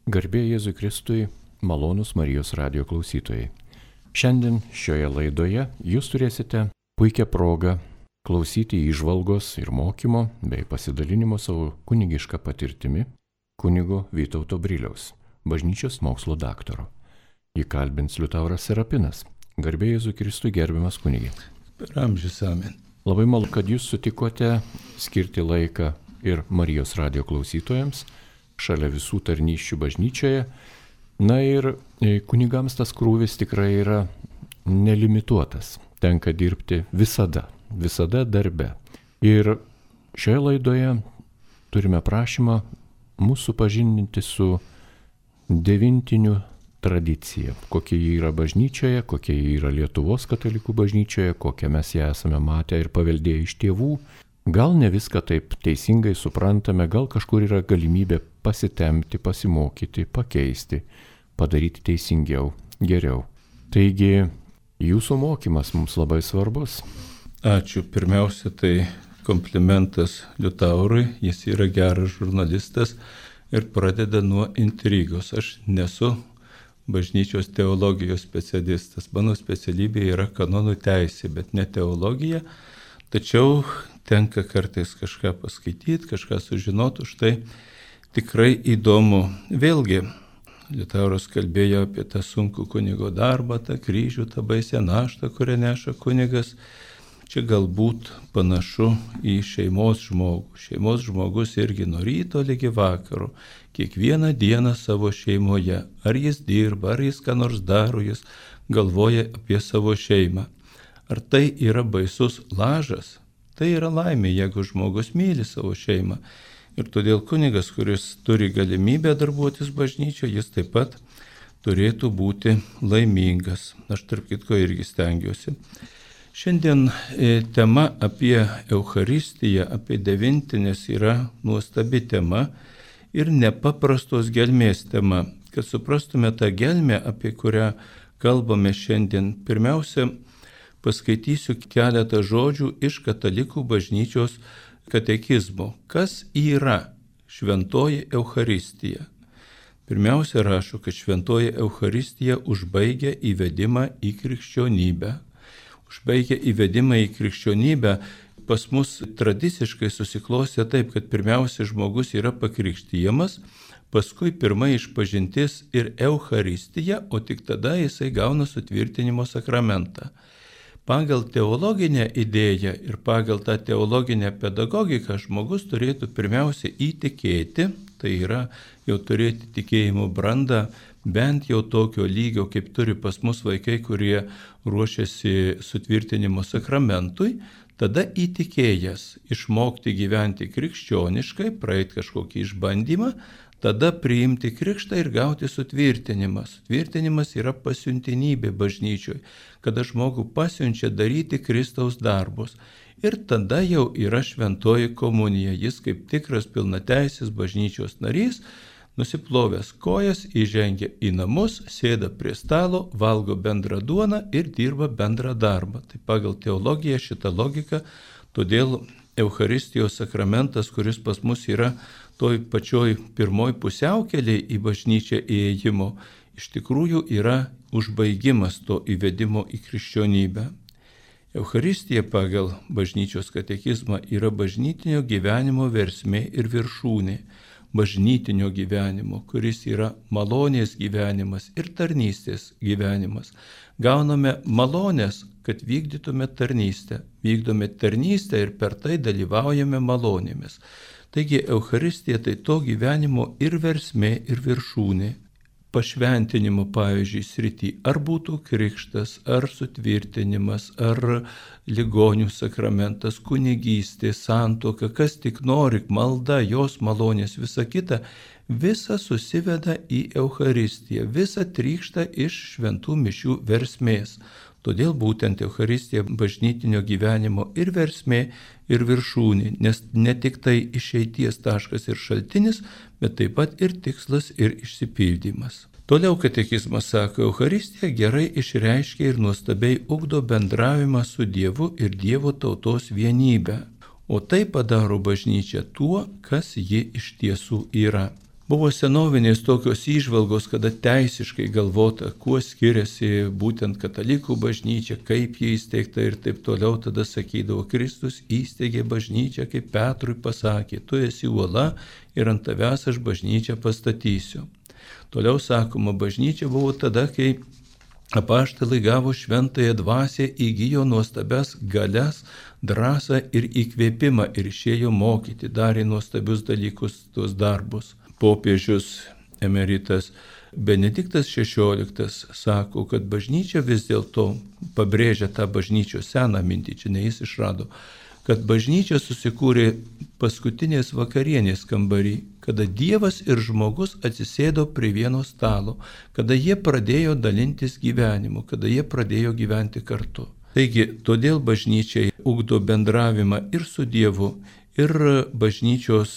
Garbė Jėzui Kristui, malonūs Marijos radijo klausytojai. Šiandien šioje laidoje jūs turėsite puikią progą klausyti įžvalgos ir mokymo bei pasidalinimo savo kunigišką patirtimi kunigo Vytauto Briliaus, bažnyčios mokslo daktaro. Jį kalbins Liutauras Serapinas. Garbė Jėzui Kristui, gerbiamas kunigė. Per amžius amen. Labai malonu, kad jūs sutikote skirti laiką ir Marijos radijo klausytojams šalia visų tarnysčių bažnyčioje. Na ir kunigams tas krūvis tikrai yra nelimituotas. Tenka dirbti visada darbe. Ir šioje laidoje turime prašymą mūsų supažindinti su devintinių tradicija, kokia ji yra bažnyčioje, kokia ji yra Lietuvos katalikų bažnyčioje, kokią mes ją esame matę ir paveldėję iš tėvų. Gal ne viską taip teisingai suprantame, gal kažkur yra galimybė pasitempti, pasimokyti, pakeisti, padaryti teisingiau, geriau. Taigi, jūsų mokymas mums labai svarbus. Ačiū. Pirmiausia, tai komplimentas Liutaurui, jis yra geras žurnalistas ir pradeda nuo intrigos. Aš nesu bažnyčios teologijos specialistas. Mano specialybė yra kanonų teisė, bet ne teologija. Tačiau tenka kartais kažką paskaityti, kažką sužinoti, už tai tikrai įdomu. Vėlgi, Liutauras kalbėjo apie tą sunkų kunigo darbą, tą kryžių, tą baisę naštą, kurią neša kunigas. Čia galbūt panašu į šeimos žmogų. Šeimos žmogus irgi nuo ryto lygi vakaro, kiekvieną dieną savo šeimoje. Ar jis dirba, ar jis ką nors daro, jis galvoja apie savo šeimą. Ar tai yra baisus lažas? Tai yra laimė, jeigu žmogus myli savo šeimą. Ir todėl kunigas, kuris turi galimybę darbuotis bažnyčioje, jis taip pat turėtų būti laimingas. Aš tarp kitko irgi stengiuosi. Šiandien tema apie Eucharistiją, apie devintinės yra nuostabi tema ir nepaprastos gelmės tema. Kad suprastume tą gelmę, apie kurią kalbame šiandien, pirmiausia, paskaitysiu keletą žodžių iš katalikų bažnyčios katekizmo. Kas yra šventoji Eucharistija? Pirmiausia rašo, kad šventoji Eucharistija užbaigia įvedimą į krikščionybę. Užbaigia įvedimą į krikščionybę. Pas mus tradiciškai susiklostė taip, kad pirmiausia žmogus yra pakrikštijamas, paskui pirma išpažintis ir Eucharistija, o tik tada jisai gauna sutvirtinimo sakramentą. Pagal teologinę idėją ir pagal tą teologinę pedagogiką žmogus turėtų pirmiausia įtikėti, tai yra jau turėti tikėjimo brandą, bent jau tokio lygio, kaip turi pas mus vaikai, kurie ruošiasi sutvirtinimo sakramentui, tada įtikėjęs išmokti gyventi krikščioniškai, praeiti kažkokį išbandymą, tada priimti krikštą ir gauti sutvirtinimą. Sutvirtinimas yra pasiuntinybė bažnyčioj, kada žmogų pasiunčia daryti Kristaus darbus. Ir tada jau yra šventoji komunija. Jis kaip tikras pilnateisis bažnyčios narys, nusiplovęs kojas, įžengia į namus, sėda prie stalo, valgo bendrą duoną ir dirba bendrą darbą. Tai pagal teologiją šitą logiką, todėl Eucharistijos sakramentas, kuris pas mus yra toj pačioj pirmoj pusiaukelėj į bažnyčią įėjimo, iš tikrųjų yra užbaigimas to įvedimo į krikščionybę. Eucharistija pagal bažnyčios katekizmą yra bažnytinio gyvenimo versmė ir viršūnė. Bažnytinio gyvenimo, kuris yra malonės gyvenimas ir tarnystės gyvenimas. Gauname malonės, kad vykdytume tarnystę. Vykdome tarnystę ir per tai dalyvaujame malonėmis. Taigi Eucharistija tai to gyvenimo ir versmė, ir viršūnė. Pašventinimo, pavyzdžiui, srity, ar būtų krikštas, ar sutvirtinimas, ar ligonių sakramentas, kunigystė, santuoka, kas tik nori, malda, jos malonės, visa kita, visa susiveda į Eucharistiją, visa trykšta iš šventų mišių versmės. Todėl būtent Eucharistija bažnytinio gyvenimo ir versmė, ir viršūnė, nes ne tik tai išeities taškas ir šaltinis, bet taip pat ir tikslas ir išsipildymas. Toliau katekizmas sako, Eucharistija gerai išreiškia ir nuostabiai ugdo bendravimą su Dievu ir Dievo tautos vienybę, o tai padaro bažnyčią tuo, kas ji iš tiesų yra. Buvo senovinės tokios įžvalgos, kada teisiškai galvota, kuo skiriasi būtent katalikų bažnyčia, kaip jį įsteigta ir taip toliau. Tada sakydavo, Kristus įsteigė bažnyčią, kaip Petrui pasakė, tu esi uola ir ant tavęs aš bažnyčią pastatysiu. Toliau sakoma, bažnyčia buvo tada, kai apaštalai gavo šventąją dvasią, įgijo nuostabias galias, drąsą ir įkvėpimą ir išėjo mokyti, darė nuostabius dalykus, tuos darbus. Popiežius emeritas Benediktas XVI sako, kad bažnyčia vis dėlto pabrėžia tą bažnyčios seną mintį, čia ne jis išrado, kad bažnyčia susikūrė paskutinės vakarienės kambarį, kada Dievas ir žmogus atsisėdo prie vieno stalo, kada jie pradėjo dalintis gyvenimu, kada jie pradėjo gyventi kartu. Taigi, todėl bažnyčiai ugdo bendravimą ir su Dievu, ir bažnyčios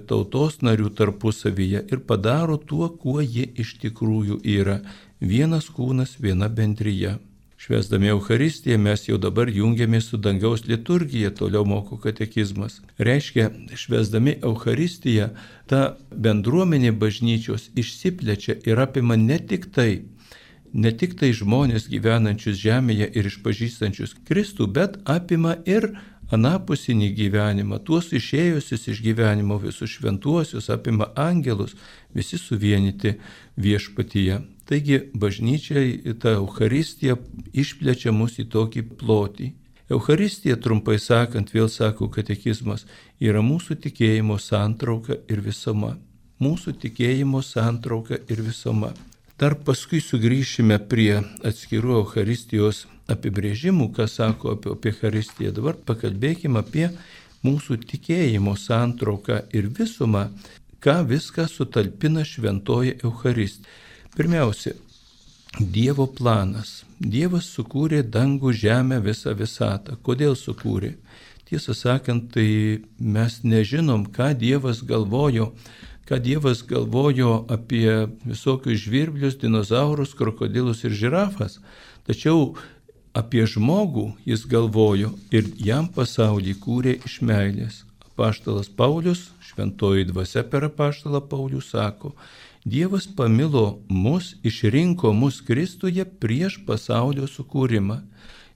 tautos narių tarpusavyje ir padaro tuo, kuo jie iš tikrųjų yra. Vienas kūnas, viena bendrija. Švęsdami Eucharistiją mes jau dabar jungiamės su dangaus liturgija, toliau moko katekizmas. Reiškia, švęsdami Eucharistiją, ta bendruomenė bažnyčios išsiplečia ir apima ne tik tai žmonės gyvenančius žemėje ir išpažįstančius Kristų, bet apima ir anapusinį gyvenimą, tuos išėjusius iš gyvenimo, visus šventuosius, apima angelus, visi suvienyti viešpatyje. Taigi bažnyčiai ta Eucharistija išplečia mus į tokį plotį. Eucharistija, trumpai sakant, vėl sako katekizmas, yra mūsų tikėjimo santrauka ir visuma. Mūsų tikėjimo santrauka ir visuma. Dar paskui sugrįšime prie atskirų Eucharistijos apibrėžimų, ką sako apie Eucharistiją. Dabar pakalbėkime apie mūsų tikėjimo santrauką ir visumą, ką viską sutalpina šventoji Eucharistija. Pirmiausia, Dievo planas. Dievas sukūrė dangų, žemę, visą visatą. Kodėl sukūrė? Tiesą sakant, tai mes nežinom, ką Dievas galvojo apie visokius žvirblius, dinozaurus, krokodilus ir žirafas. Tačiau apie žmogų jis galvojo ir jam pasaulį kūrė iš meilės. Apaštalas Paulius, šventoji dvasia per apaštalą Paulių sako, Dievas pamilo mus, išrinko mus Kristuje prieš pasaulio sukūrimą.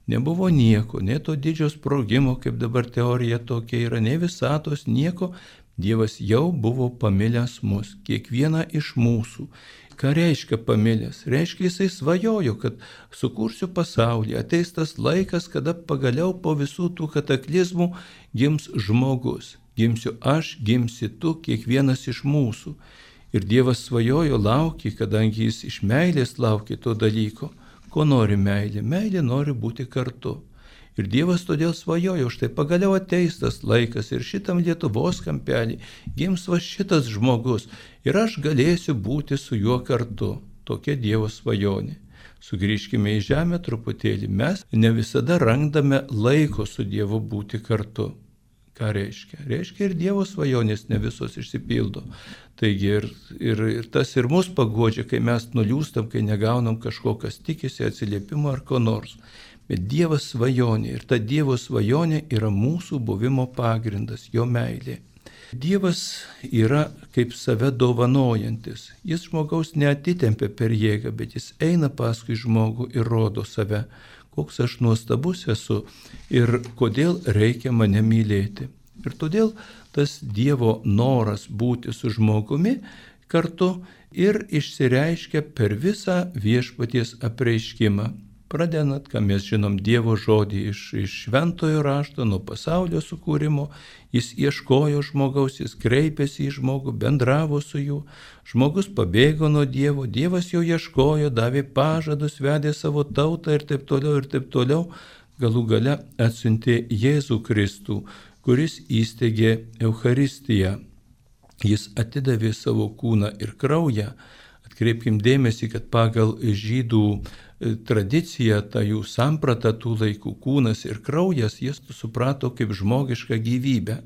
Nebuvo nieko, ne to didžio sprogimo, kaip dabar teorija tokia yra, ne visatos, nieko. Dievas jau buvo pamilęs mus, kiekvieną iš mūsų. Ką reiškia pamilęs? Reiškia, jisai svajojo, kad sukursiu pasaulį, ateis tas laikas, kada pagaliau po visų tų kataklizmų gims žmogus. Gimsiu aš, gimsi tu, kiekvienas iš mūsų. Ir Dievas svajojo, laukė, kadangi jis iš meilės laukė to dalyko. Ko nori meilė? Meilė nori būti kartu. Ir Dievas todėl svajojo, štai pagaliau ateis tas laikas ir šitam Lietuvos kampelį gims va šitas žmogus ir aš galėsiu būti su juo kartu. Tokia Dievo svajonė. Sugrįžkime į žemę truputėlį. Mes ne visada randame laiko su Dievu būti kartu. Ką reiškia? Reiškia ir Dievo svajonės ne visos išsipildo. Taigi ir tas ir mus paguodžia, kai mes nuliūstam, kai negaunam kažko, kas tikisi, atsiliepimo ar ko nors. Bet Dievas svajonė ir ta Dievo svajonė yra mūsų buvimo pagrindas, jo meilė. Dievas yra kaip save dovanojantis. Jis žmogaus neatitempia per jėgą, bet jis eina paskui žmogų ir rodo save, koks aš nuostabus esu ir kodėl reikia mane mylėti. Ir todėl tas Dievo noras būti su žmogumi kartu ir išsireiškia per visą viešpaties apreiškimą. Pradedant, ką mes žinom, Dievo žodį iš šventojo rašto, nuo pasaulio sukūrimo, jis ieškojo žmogaus, jis kreipėsi į žmogų, bendravo su juo, žmogus pabėgo nuo Dievo, Dievas jo ieškojo, davė pažadus, vedė savo tautą ir taip toliau, galų gale atsiuntė Jėzų Kristų, kuris įsteigė Eucharistiją. Jis atidavė savo kūną ir kraują. Atkreipkim dėmesį, kad pagal žydų tradicija, ta jų samprata tų laikų, kūnas ir kraujas, jis suprato kaip žmogišką gyvybę.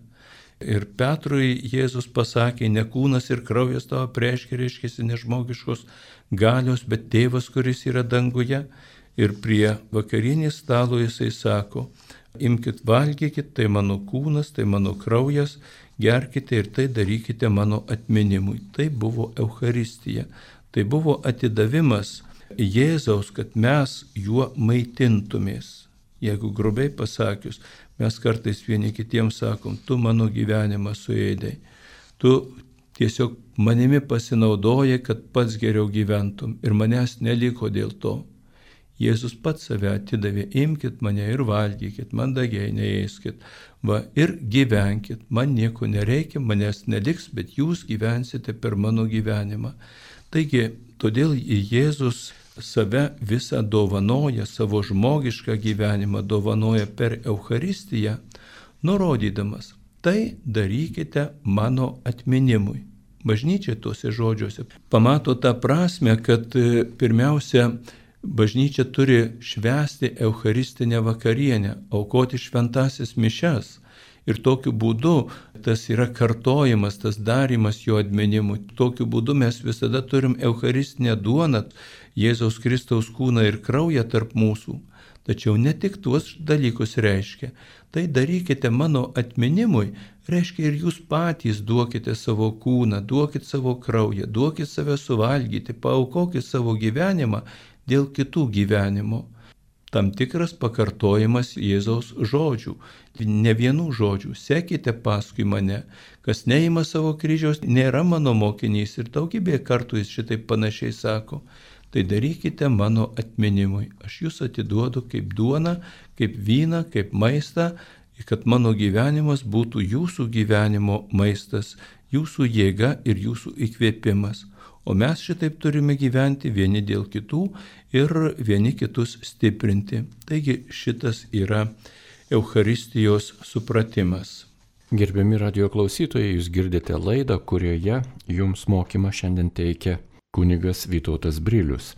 Ir Petrui Jėzus pasakė, ne kūnas ir kraujas tavo apreiškia, reiškia ne žmogiškos galios, bet tėvas, kuris yra danguje. Ir prie vakarienės stalo jisai sako, imkit, valgykit, tai mano kūnas, tai mano kraujas, gerkite ir tai darykite mano atminimui. Tai buvo Eucharistija. Tai buvo atidavimas Jėzaus, kad mes juo maitintumės. Jeigu grubiai pasakius, mes kartais vieni kitiems sakom, tu mano gyvenimą suėdai. Tu tiesiog manimi pasinaudojai, kad pats geriau gyventum ir manęs neliko dėl to. Jėzus pats save atidavė, imkit mane ir valgykit, mandagiai neėskit, ir gyvenkit, man nieko nereikia, manęs neliks, bet jūs gyvensite per mano gyvenimą. Taigi, todėl Jėzus save visą dovanoja, savo žmogišką gyvenimą dovanoja per Eucharistiją, nurodydamas, tai darykite mano atminimui. Bažnyčia tuose žodžiuose pamato tą prasme, kad pirmiausia, bažnyčia turi švęsti Eucharistinę vakarienę, aukoti šventąsias mišias. Ir tokiu būdu tas yra kartojimas, tas darymas jo atminimui. Tokiu būdu mes visada turim Eucharistinę duoną, Jėzaus Kristaus kūną ir kraują tarp mūsų. Tačiau ne tik tuos dalykus reiškia. Tai darykite mano atminimui, reiškia ir jūs patys duokite savo kūną, duokite savo kraują, duokite save suvalgyti, paaukokite savo gyvenimą dėl kitų gyvenimo. Tam tikras pakartojimas Jėzaus žodžių, ne vienų žodžių, sekite paskui mane, kas neima savo kryžiaus, nėra mano mokinys ir daugybė kartų jis šitaip panašiai sako, tai darykite mano atminimui, aš jūs atiduodu kaip duoną, kaip vyną, kaip maistą, kad mano gyvenimas būtų jūsų gyvenimo maistas, jūsų jėga ir jūsų įkvėpimas. O mes šitaip turime gyventi vieni dėl kitų ir vieni kitus stiprinti. Taigi šitas yra Eucharistijos supratimas. Gerbiami radio klausytojai, jūs girdite laidą, kurioje jums mokymą šiandien teikia kunigas Vytautas Brilius.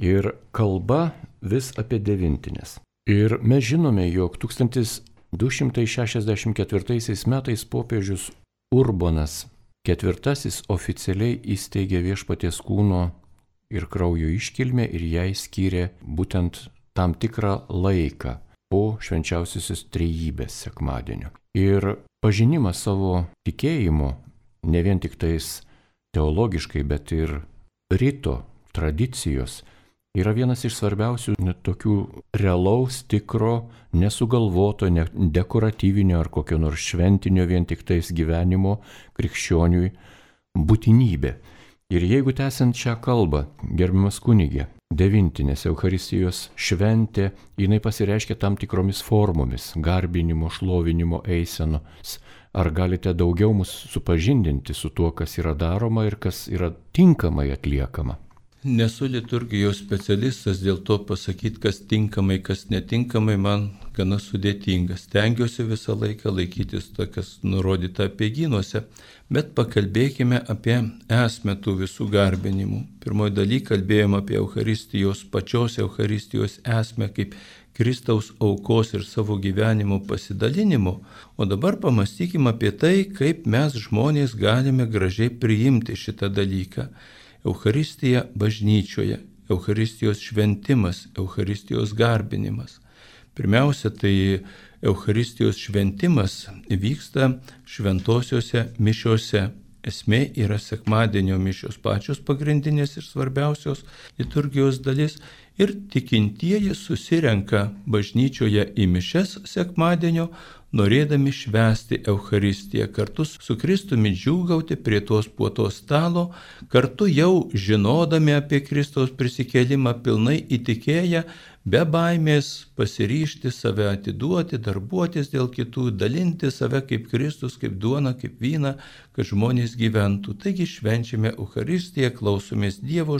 Ir kalba vis apie devintines. Ir mes žinome, jog 1264 metais popiežius Urbonas IV oficialiai įsteigė Viešpaties kūno ir kraujo iškilmę ir jai skyrė būtent tam tikrą laiką po švenčiausiosios trejybės sekmadienio. Ir pažinimas savo tikėjimo, ne vien tik tais teologiškai, bet ir rito tradicijos, yra vienas iš svarbiausių tokių realaus, tikro, nesugalvoto, dekoratyvinio ar kokio nors šventinio vien tik tais gyvenimo krikščioniui būtinybė. Ir jeigu tęsiant šią kalbą, gerbiamas kunigė, devintinės Eucharistijos šventė, jinai pasireiškia tam tikromis formomis, garbinimo, šlovinimo, eisenos. Ar galite daugiau mus supažindinti su tuo, kas yra daroma ir kas yra tinkamai atliekama? Nesu liturgijos specialistas, dėl to pasakyti, kas tinkamai, kas netinkamai, man gana sudėtinga. Stengiuosi visą laiką laikytis to, kas nurodyta apeigynuose, bet pakalbėkime apie esmę tų visų garbinimų. Pirmoji daly kalbėjom apie pačios Eucharistijos esmę kaip Kristaus aukos ir savo gyvenimo pasidalinimo, o dabar pamastykime apie tai, kaip mes žmonės galime gražiai priimti šitą dalyką. Eucharistija bažnyčioje, Eucharistijos šventimas, Eucharistijos garbinimas. Pirmiausia, tai Eucharistijos šventimas vyksta šventosiuose mišiuose. Esmė yra sekmadienio mišios, pačios pagrindinės ir svarbiausios liturgijos dalis. Ir tikintieji susirenka bažnyčioje į mišias sekmadienio, norėdami švęsti Eucharistiją, kartu su Kristumi džiūgauti prie tos puotos stalo, kartu jau žinodami apie Kristaus prisikėlimą, pilnai įtikėję, be baimės pasiryžti save atiduoti, darbuotis dėl kitų, dalinti save kaip Kristus, kaip duona, kaip vyną, kad žmonės gyventų. Taigi švenčiame Eucharistiją, klausomės Dievo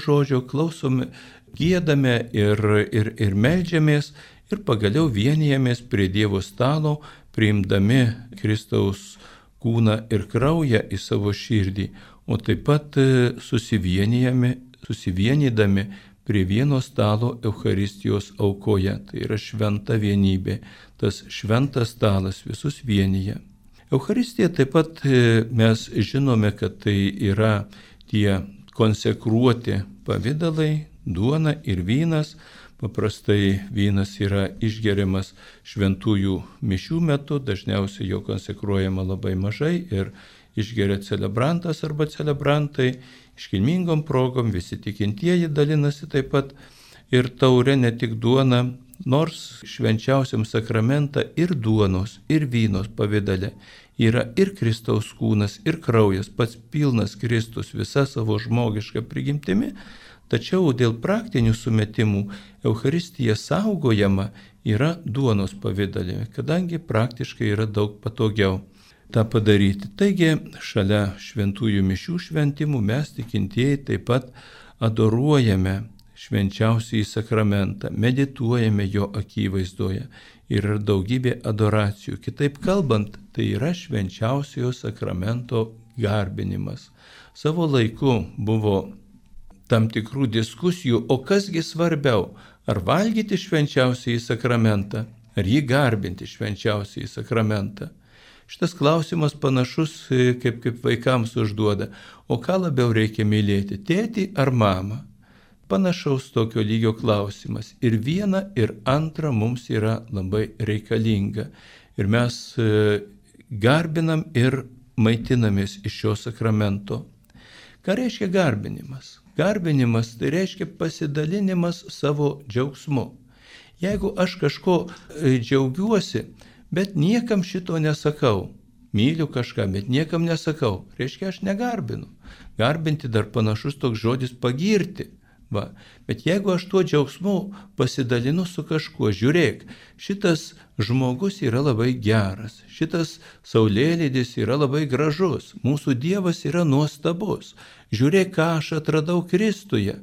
žodžio, klausome, giedame ir meldžiamės. Ir pagaliau vienijamės prie Dievo stalo, priimdami Kristaus kūną ir kraują į savo širdį, o taip pat susivienydami prie vieno stalo Eucharistijos aukoje. Tai yra šventa vienybė, tas šventas stalas visus vienyje. Eucharistija taip pat mes žinome, kad tai yra tie konsekruoti pavidalai, duona ir vynas, Paprastai vynas yra išgeriamas šventųjų mišių metu, dažniausiai jo konsekruojama labai mažai ir išgeria celebrantas arba celebrantai. Iškilmingom progom visi tikintieji dalinasi taip pat ir taure, ne tik duona, nors švenčiausiam sakramentą ir duonos, ir vynos pavidale yra ir Kristaus kūnas, ir kraujas, pats pilnas Kristus visa savo žmogiška prigimtimi, tačiau dėl praktinių sumetimų Eucharistija saugojama yra duonos pavidale, kadangi praktiškai yra daug patogiau tą padaryti. Taigi, šalia šventųjų mišių šventimų mes tikintieji taip pat adoruojame švenčiausiąjį sakramentą, medituojame jo akivaizdoje. Yra daugybė adoracijų. Kitaip kalbant, tai yra švenčiausiojo sakramento garbinimas. Savo laiku buvo tam tikrų diskusijų, o kasgi svarbiau, ar valgyti švenčiausiąjį sakramentą, ar jį garbinti švenčiausiąjį sakramentą. Šitas klausimas panašus, kaip vaikams užduoda, o ką labiau reikia mylėti, tėtį ar mamą? Panašaus tokio lygio klausimas. Ir viena, ir antra mums yra labai reikalinga. Ir mes garbinam ir maitinamės iš šio sakramento. Ką reiškia garbinimas? Garbinimas tai reiškia pasidalinimas savo džiaugsmu. Jeigu aš kažko džiaugiuosi, bet niekam šito nesakau, myliu kažką, bet niekam nesakau, reiškia aš negarbinu. Garbinti dar panašus toks žodis pagirti. Va. Bet jeigu aš tuo džiaugsmu pasidalinu su kažkuo, žiūrėk, šitas žmogus yra labai geras, šitas saulėlydis yra labai gražus, mūsų Dievas yra nuostabus, žiūrėk, ką aš atradau Kristuje,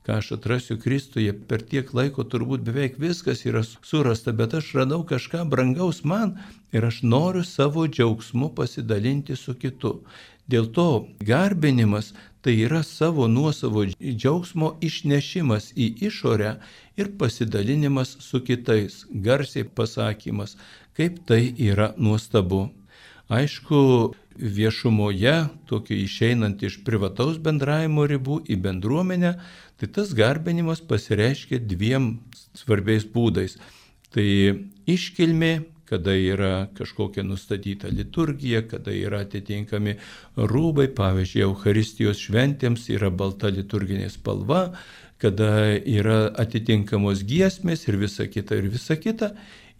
ką aš atrasiu Kristuje, per tiek laiko turbūt beveik viskas yra surasta, bet aš radau kažką brangaus man ir aš noriu savo džiaugsmu pasidalinti su kitu. Dėl to garbinimas tai yra savo nuosavo džiaugsmo išnešimas į išorę ir pasidalinimas su kitais, garsiai pasakymas, kaip tai yra nuostabu. Aišku, viešumoje, tokio išeinant iš privataus bendravimo ribų į bendruomenę, tai tas garbinimas pasireiškia dviem svarbiais būdais. Tai iškilmė, kada yra kažkokia nustatyta liturgija, kada yra atitinkami rūbai, pavyzdžiui, Eucharistijos šventėms yra balta liturginė spalva, kada yra atitinkamos giesmės ir visa kita,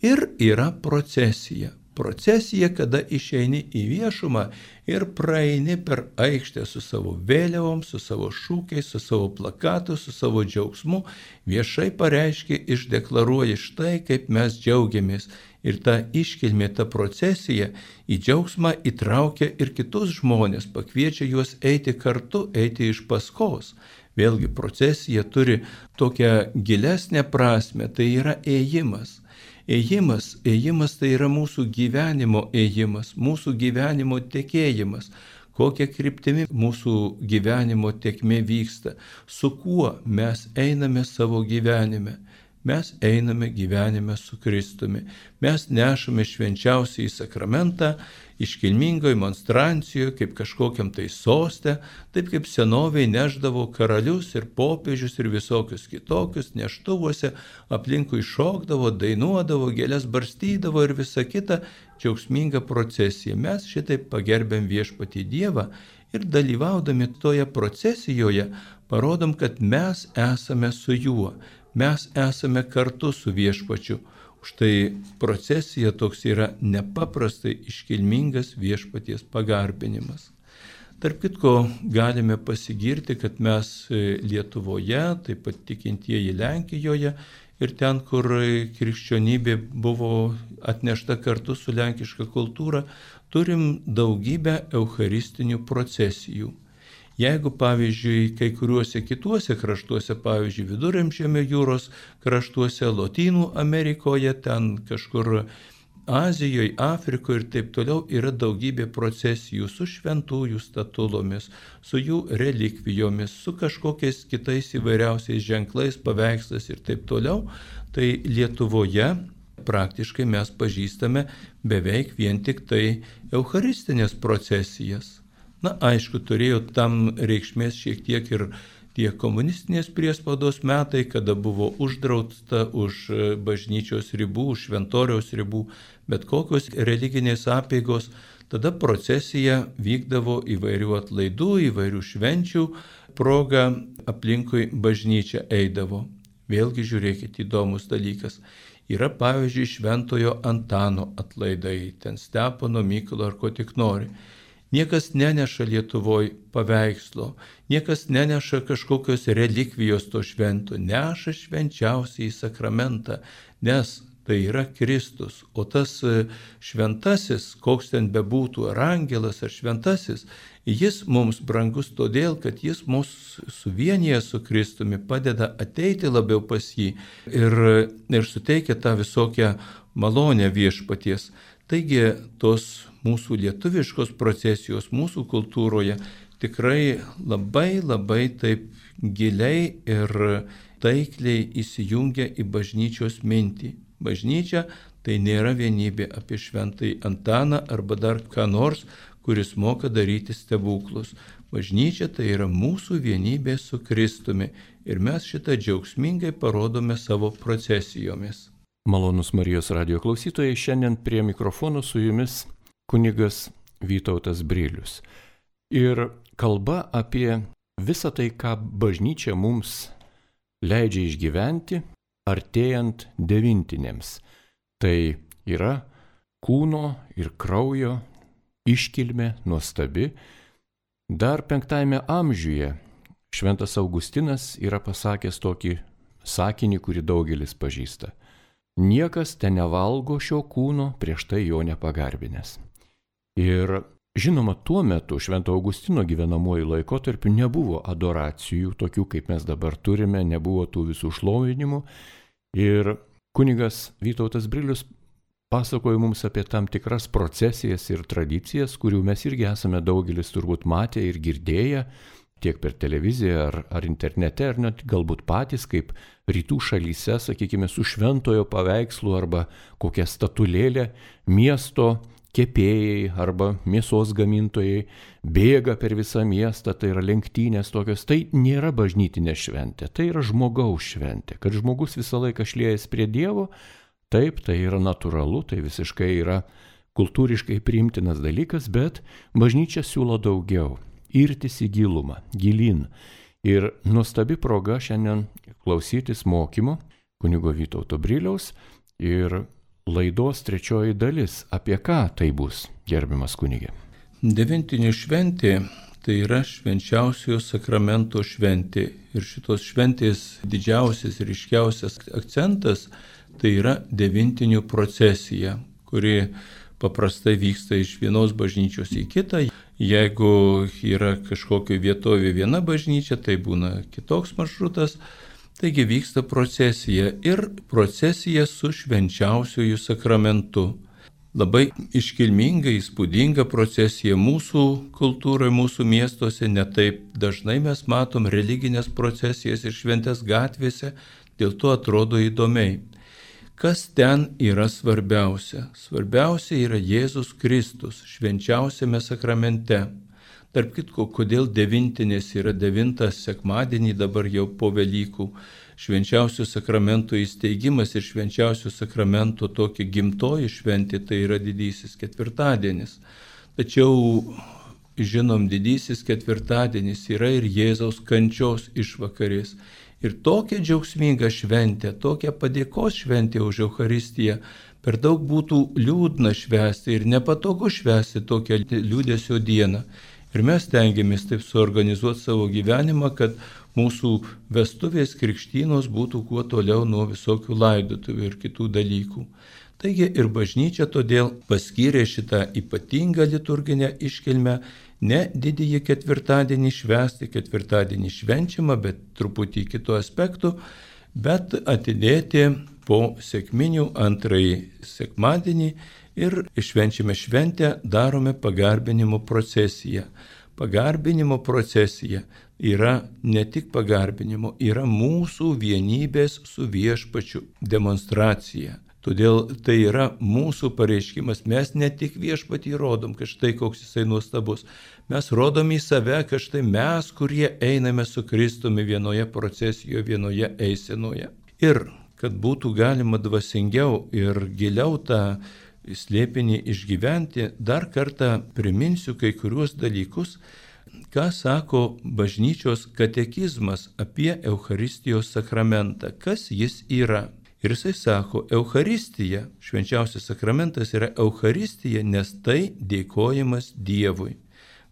ir yra procesija. Procesija, kada išeini į viešumą ir praeini per aikštę su savo vėliavom, su savo šūkiais, su savo plakatu, su savo džiaugsmu, viešai pareiškia, išdeklaruoja štai, kaip mes džiaugiamės. Ir ta iškilmė, ta procesija į džiaugsmą įtraukia ir kitus žmonės, pakviečia juos eiti kartu, eiti iš paskos. Vėlgi procesija turi tokią gilesnę prasme, tai yra ėjimas. Ėjimas tai yra mūsų gyvenimo ėjimas, mūsų gyvenimo tekėjimas, kokia kryptimi mūsų gyvenimo tėkmė vyksta, su kuo mes einame savo gyvenime. Mes einame gyvenime su Kristumi. Mes nešame švenčiausiąjį sakramentą iškilmingoje monstrancijoje, kaip kažkokiam tai soste, taip kaip senoviai neždavo karalius ir popiežius ir visokius kitokius neštuvuose, aplinkui šokdavo, dainuodavo, gėles barstydavo ir visa kita džiaugsminga procesija. Mes šitaip pagerbėm viešpatį Dievą ir dalyvaudami toje procesijoje parodom, kad mes esame su juo. Mes esame kartu su viešpačiu. Štai procesija toks yra nepaprastai iškilmingas viešpaties pagarbinimas. Tarp kitko galime pasigirti, kad mes Lietuvoje, taip pat tikintieji Lenkijoje ir ten, kur krikščionybė buvo atnešta kartu su lenkiška kultūra, turim daugybę eucharistinių procesijų. Jeigu, pavyzdžiui, kai kuriuose kituose kraštuose, pavyzdžiui, Viduramžiemio jūros kraštuose, Lotynų Amerikoje, ten kažkur Azijoje, Afrikoje ir taip toliau yra daugybė procesijų su šventųjų statulomis, su jų relikvijomis, su kažkokiais kitais įvairiausiais ženklais, paveikslais ir taip toliau, tai Lietuvoje praktiškai mes pažįstame beveik vien tik tai eucharistinės procesijas. Na, aišku, turėjo tam reikšmės šiek tiek ir tie komunistinės priespaudos metai, kada buvo uždrausta už bažnyčios ribų, už šventoriaus ribų, bet kokios religinės apeigos, tada procesija vykdavo įvairių atlaidų, įvairių švenčių proga, aplinkui bažnyčią eidavo. Vėlgi žiūrėkit, įdomus dalykas. Yra pavyzdžiui Šventojo Antano atlaidai, ten Stepono, Mykolo ar ko tik nori. Niekas neneša Lietuvoje paveikslo, niekas neneša kažkokios relikvijos to švento, neša švenčiausiai sakramentą, nes tai yra Kristus. O tas šventasis, koks ten bebūtų, ar angelas, ar šventasis, jis mums brangus todėl, kad jis mus suvienyje su Kristumi, padeda ateiti labiau pas jį ir suteikia tą visokią malonę viešpaties. Taigi tos mūsų lietuviškos procesijos, mūsų kultūroje tikrai labai taip giliai ir taikliai įsijungia į bažnyčios mintį. Bažnyčia tai nėra vienybė apie šventąjį Antaną arba dar ką nors, kuris moka daryti stebuklus. Bažnyčia tai yra mūsų vienybė su Kristumi ir mes šitą džiaugsmingai parodome savo procesijomis. Malonus Marijos radijo klausytojai, šiandien prie mikrofonų su jumis kunigas Vytautas Brilius. Ir kalba apie visą tai, ką bažnyčia mums leidžia išgyventi, artėjant devintinėms. Tai yra kūno ir kraujo iškilmė nuostabi. Dar 5 amžiuje šventas Augustinas yra pasakęs tokį sakinį, kurį daugelis pažįsta. Niekas ten nevalgo šio kūno prieš tai jo nepagarbinęs. Ir žinoma, tuo metu Švento Augustino gyvenamuoju laikotarpiu nebuvo adoracijų, tokių kaip mes dabar turime, nebuvo tų visų šlovinimų. Ir kunigas Vytautas Brilius pasakojo mums apie tam tikras procesijas ir tradicijas, kurių mes irgi esame daugelis turbūt matę ir girdėję, tiek per televiziją ar internete, ar net galbūt patys, kaip rytų šalyse, sakykime, su šventojo paveikslu arba kokia statulėlė miesto kepėjai arba mėsos gamintojai bėga per visą miestą, tai yra lenktynės tokios. Tai nėra bažnytinė šventė, tai yra žmogaus šventė, kad žmogus visą laiką šliejasi prie Dievo. Taip, tai yra natūralu, tai visiškai yra kultūriškai priimtinas dalykas, bet bažnyčia siūlo daugiau. Irtis į gilumą, gilin. Ir nuostabi proga šiandien klausytis mokymo kunigo Vytauto Briliaus ir laidos 3 dalis. Apie ką tai bus, gerbiamas kunige? Devintinių šventė tai yra švenčiausiojo sakramento šventė. Ir šitos šventės didžiausias ir ryškiausias akcentas tai yra devintinių procesija, kuri paprastai vyksta iš vienos bažnyčios į kitą. Jeigu yra kažkokio vietovė viena bažnyčia, tai būna kitoks maršrutas. Taigi vyksta procesija ir procesija su švenčiausiuoju sakramentu. Labai iškilminga, įspūdinga procesija mūsų kultūroje, mūsų miestuose. Netaip dažnai mes matom religinės procesijas ir šventės gatvėse, dėl to atrodo įdomiai. Kas ten yra svarbiausia? Svarbiausia yra Jėzus Kristus švenčiausiame sakramente. Tarp kitko, kodėl devintinės yra 9 sekmadienį dabar jau po Velykų. Švenčiausio sakramento įsteigimas ir švenčiausio sakramento tokia gimtoji šventė tai yra didysis ketvirtadienis. Tačiau, žinom, didysis ketvirtadienis yra ir Jėzaus kančios išvakarės. Ir tokia džiaugsminga šventė, tokia padėkos šventė už Eucharistiją, per daug būtų liūdna švęsti ir nepatogu švęsti tokią liūdesio dieną. Ir mes tengiamės taip suorganizuoti savo gyvenimą, kad mūsų vestuvės krikštynos būtų kuo toliau nuo visokių laidotuvių ir kitų dalykų. Taigi ir bažnyčia todėl paskyrė šitą ypatingą liturginę iškilmę ne didįjį ketvirtadienį švęsti, ketvirtadienį švenčiamą, bet truputį kitų aspektų, bet atidėti po sekminių 2 sekmadienį ir švenčiame šventę, darome pagarbinimo procesiją. Pagarbinimo procesija yra ne tik pagarbinimo, yra mūsų vienybės su viešpačiu demonstracija. Todėl tai yra mūsų pareiškimas. Mes ne tik Viešpatį rodom, kad štai koks jisai nuostabus. Mes rodom į save, kad štai mes, kurie einame su Kristumi vienoje procesijoje, vienoje eisenoje. Ir kad būtų galima dvasingiau ir giliau tą slėpinį išgyventi, dar kartą priminsiu kai kuriuos dalykus, ką sako bažnyčios katekizmas apie Eucharistijos sakramentą, kas jis yra. Ir jisai sako, Eucharistija, švenčiausias sakramentas yra Eucharistija, nes tai dėkojimas Dievui.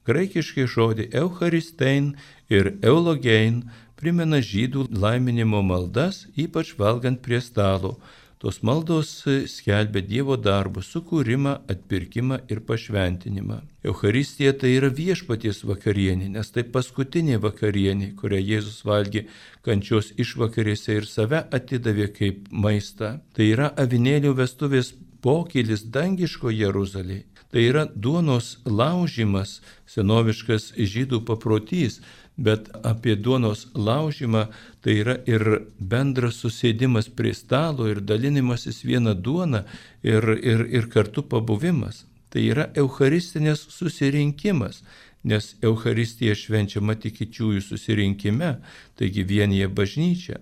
Graikiškai žodį Eucharistein ir Eulogein primena žydų laiminimo maldas, ypač valgant prie stalo. Tos maldos skelbia Dievo darbus, sukūrimą, atpirkimą ir pašventinimą. Eucharistija tai yra viešpaties vakarienė, nes tai paskutinė vakarienė, kurią Jėzus valgė kančios išvakarėse ir save atidavė kaip maistą. Tai yra avinėlių vestuvės pokylis dangiško Jeruzalėje. Tai yra duonos laužimas, senoviškas žydų paprotys, bet apie duonos laužimą tai yra ir bendras susėdimas prie stalo ir dalinimasis vieną duoną ir kartu pabuvimas. Tai yra eucharistinės susirinkimas, nes Eucharistija švenčiama tikinčiųjų susirinkime, taigi vienyje bažnyčia.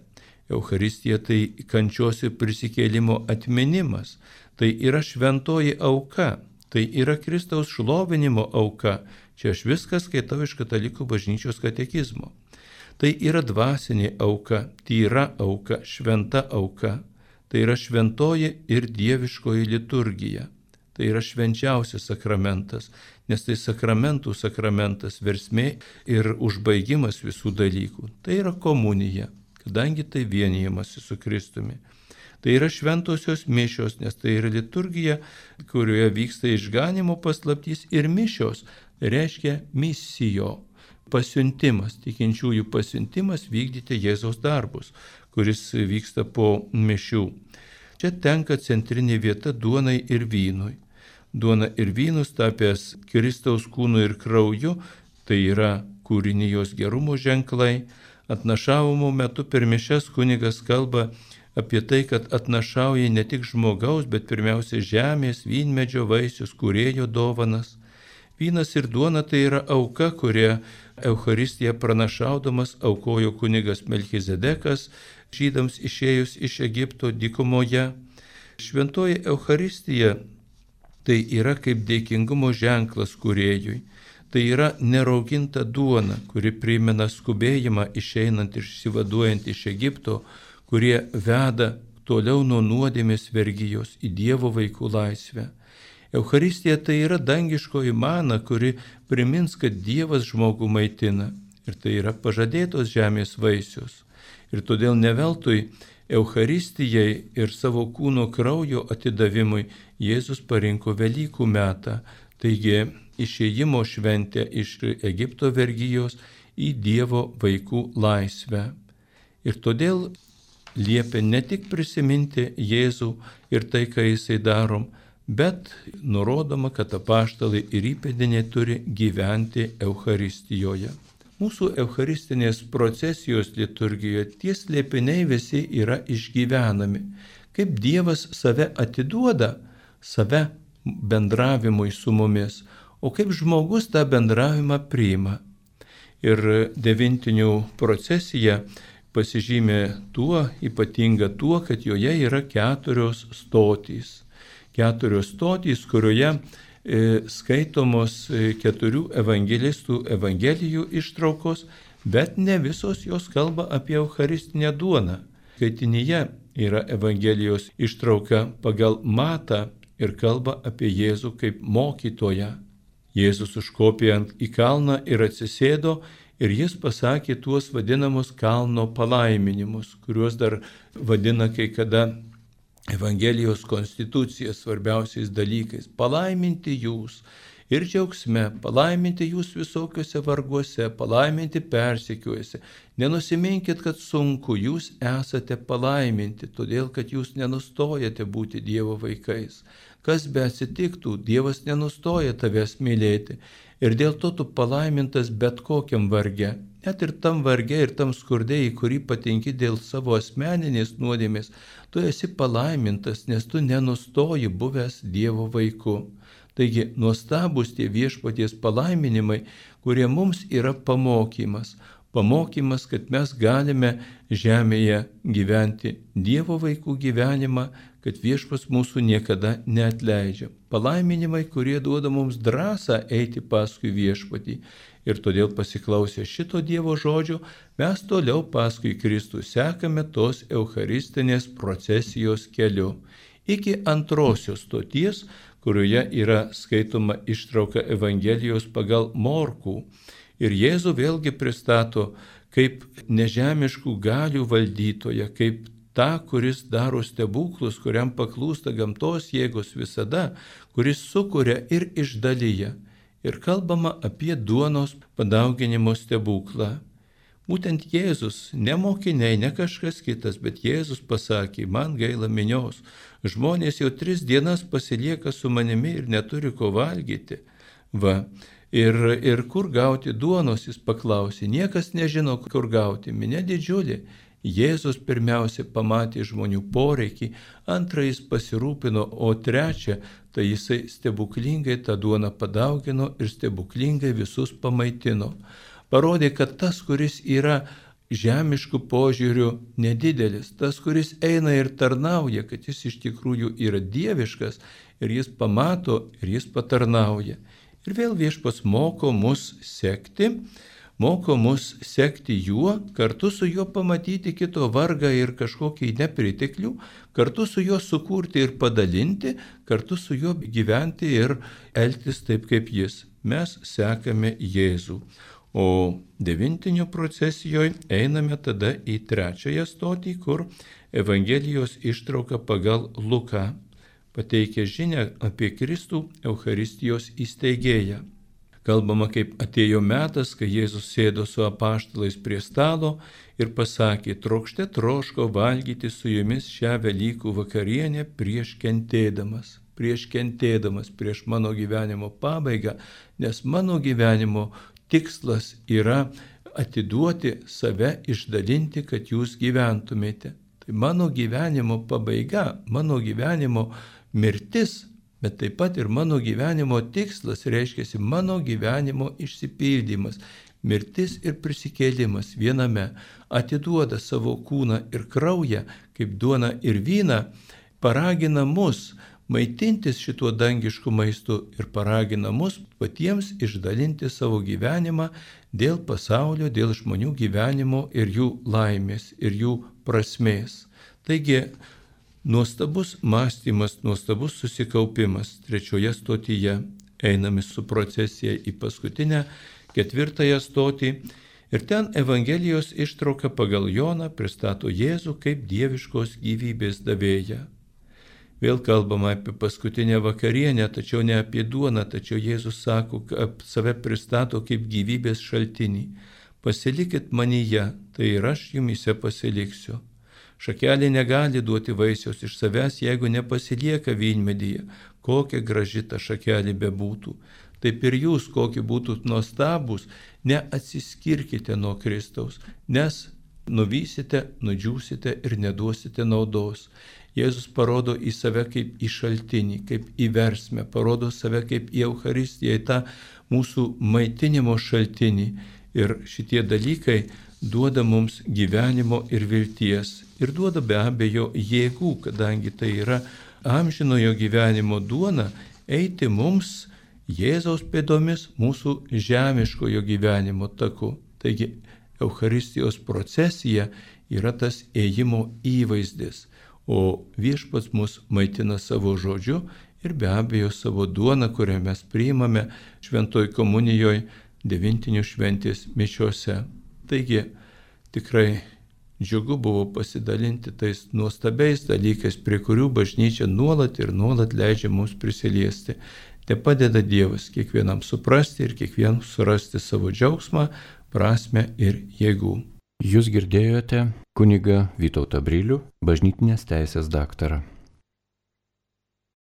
Eucharistija tai kančios ir prisikėlimo atminimas, tai yra šventoji auka, tai yra Kristaus šlovinimo auka. Čia aš viską skaitau iš Katalikų bažnyčios katekizmo. Tai yra dvasinė auka, tyra auka, šventa auka. Tai yra šventoji ir dieviškoji liturgija. Tai yra švenčiausias sakramentas, nes tai sakramentų sakramentas, versmė ir užbaigimas visų dalykų. Tai yra komunija, kadangi tai vienijamasi su Kristumi. Tai yra šventosios mišios, nes tai yra liturgija, kurioje vyksta išganimo paslaptys, ir mišios reiškia misijo, pasiuntimas, tikinčiųjų pasiuntimas vykdyti Jėzaus darbus, kuris vyksta po mišių. Čia tenka centrinė vieta duonai ir vynui. Duona ir vynus tapęs Kristaus kūnu ir krauju, tai yra kūrinijos gerumo ženklai. Atnašavimo metu per mišias kunigas kalba apie tai, kad atnašauja ne tik žmogaus, bet pirmiausia žemės, vynmedžio vaisius, kūrėjo dovanas. Vynas ir duona tai yra auka, kurią Eucharistiją pranašaudamas aukojo kunigas Melchizedekas žydams išėjus iš Egipto dykumoje. Šventoji Eucharistija tai yra kaip dėkingumo ženklas kūrėjui. Tai yra nerauginta duona, kuri primena skubėjimą išeinant ir išsivaduojant iš Egipto, kurie veda toliau nuo nuodėmės vergijos į Dievo vaikų laisvę. Eucharistija tai yra dangiškoji mana, kuri primins, kad Dievas žmogų maitina. Ir tai yra pažadėtos žemės vaisius. Ir todėl neveltui Eucharistijai ir savo kūno kraujo atidavimui Jėzus parinko Velykų metą, taigi išėjimo šventę iš Egipto vergijos į Dievo vaikų laisvę. Ir todėl liepia ne tik prisiminti Jėzų ir tai, ką jisai darom, bet nurodoma, kad apaštalai ir įpėdiniai turi gyventi Eucharistijoje. Mūsų eucharistinės procesijos liturgijoje tie slėpiniai visi yra išgyvenami. Kaip Dievas save atiduoda, save bendravimui su mumis, o kaip žmogus tą bendravimą priima. Ir devintinių procesija pasižymė ypatinga tuo, kad joje yra 4 stotys. 4 stotys, kurioje skaitomos 4 evangelistų evangelijų ištraukos, bet ne visos jos kalba apie eucharistinę duoną. Skaitinyje yra evangelijos ištrauka pagal Matą ir kalba apie Jėzų kaip mokytoją. Jėzus užkopė į kalną ir atsisėdo ir jis pasakė tuos vadinamus kalno palaiminimus, kuriuos dar vadina kai kada Evangelijos konstitucija svarbiausiais dalykais. Palaiminti jūs ir džiaugsme, palaiminti jūs visokiuose varguose, palaiminti persekiojuose. Nenusiminkit, kad sunku, jūs esate palaiminti, todėl kad jūs nenustojate būti Dievo vaikais. kas be atsitiktų, Dievas nenustoja tavęs mylėti. Ir dėl to tu palaimintas bet kokiam varge. Net ir tam varge ir tam skurde, į kurį patenki dėl savo asmeninės nuodėmės, tu esi palaimintas, nes tu nenustoji buvęs Dievo vaiku. Taigi nuostabus tie viešpaties palaiminimai, kurie mums yra pamokymas. Pamokymas, kad mes galime žemėje gyventi Dievo vaikų gyvenimą, kad viešpats mūsų niekada neatleidžia. Palaiminimai, kurie duoda mums drąsą eiti paskui viešpatį. Ir todėl pasiklausę šito Dievo žodžio, mes toliau paskui Kristų sekame tos eucharistinės procesijos keliu. Iki antrosios stoties, kurioje yra skaitoma ištrauka Evangelijos pagal Morkų. Ir Jėzų vėlgi pristato kaip nežemiškų galių valdytoją, kaip tą, kuris daro stebuklus, kuriam paklūsta gamtos jėgos visada, kuris sukuria ir išdalyja. Ir kalbama apie duonos padauginimo stebuklą. Būtent Jėzus, ne mokiniai, ne kažkas kitas, bet Jėzus pasakė, man gaila minios, žmonės jau 3 dienas pasilieka su manimi ir neturi ko valgyti. Va. Ir kur gauti duonos, jis paklausė, niekas nežino, kur gauti, minia didžiulė. Jėzus pirmiausia pamatė žmonių poreikį, antrą jis pasirūpino, o trečią, tai jisai stebuklingai tą duoną padaugino ir stebuklingai visus pamaitino. Parodė, kad tas, kuris yra žemiškų požiūrių nedidelis, tas, kuris eina ir tarnauja, kad jis iš tikrųjų yra dieviškas ir jis pamato ir jis patarnauja. Ir vėl viešpats moko mus sekti juo, kartu su juo pamatyti kito vargą ir kažkokį nepriteklių, kartu su juo sukurti ir padalinti, kartu su juo gyventi ir elgtis taip kaip jis. Mes sekame Jėzų. O devintinių procesijoje einame tada į 3 stotį, kur Evangelijos ištrauka pagal Luką pateikia žinią apie Kristų Eucharistijos įsteigėją. Kalbama, kaip atėjo metas, kai Jėzus sėdo su apaštalais prie stalo ir pasakė, trokšte troško valgyti su jumis šią Velykų vakarienę prieš kentėdamas, prieš mano gyvenimo pabaigą, nes mano gyvenimo tikslas yra atiduoti save, išdalinti, kad jūs gyventumėte. Tai mano gyvenimo pabaiga, mano gyvenimo mirtis, bet taip pat ir mano gyvenimo tikslas, reiškia mano gyvenimo išsipildymas, mirtis ir prisikėlimas viename, atiduoda savo kūną ir kraują, kaip duoną ir vyną, paragina mus maitintis šituo dangišku maistu ir paragina mus patiems išdalinti savo gyvenimą dėl pasaulio, dėl žmonių gyvenimo ir jų laimės ir jų prasmės. Taigi, nuostabus mąstymas, nuostabus susikaupimas 3 stotyje. Einame su procesija į paskutinę 4 stotį ir ten Evangelijos ištrauka pagal Joną pristato Jėzų kaip dieviškos gyvybės davėją. Vėl kalbama apie paskutinę vakarienę, tačiau ne apie duoną, tačiau Jėzus sako, kad save pristato kaip gyvybės šaltinį. Pasilikit manyje, tai ir aš jumise pasiliksiu. Šakelė negali duoti vaisiaus iš savęs, jeigu nepasilieka vynmedyje, kokia graži ta šakelė bebūtų. Taip ir jūs, kokie būtų nuostabūs, neatsiskirkite nuo Kristaus, nes nuvysite, nudžiūsite ir neduosite naudos. Jėzus parodo į save kaip į šaltinį, kaip į versmę, parodo save kaip į Eucharistiją, į tą mūsų maitinimo šaltinį. Ir šitie dalykai duoda mums gyvenimo ir vilties. Ir duoda be abejo jėgų, kadangi tai yra amžinojo gyvenimo duona, eiti mums Jėzaus pėdomis mūsų žemiškojo gyvenimo taku. Taigi Eucharistijos procesija yra tas ėjimo įvaizdis, o viešpats mus maitina savo žodžiu ir be abejo savo duoną, kurią mes priimame šventoj komunijoje, devintinių šventės mišiose. Taigi tikrai džiugu buvo pasidalinti tais nuostabiais dalykais, prie kurių bažnyčia nuolat ir nuolat leidžia mums prisiliesti. Te padeda Dievas kiekvienam suprasti ir kiekvienam surasti savo džiaugsmą, prasmę ir jėgų. Jūs girdėjote kunigą Vytautą Brilių, bažnytinės teisės daktarą.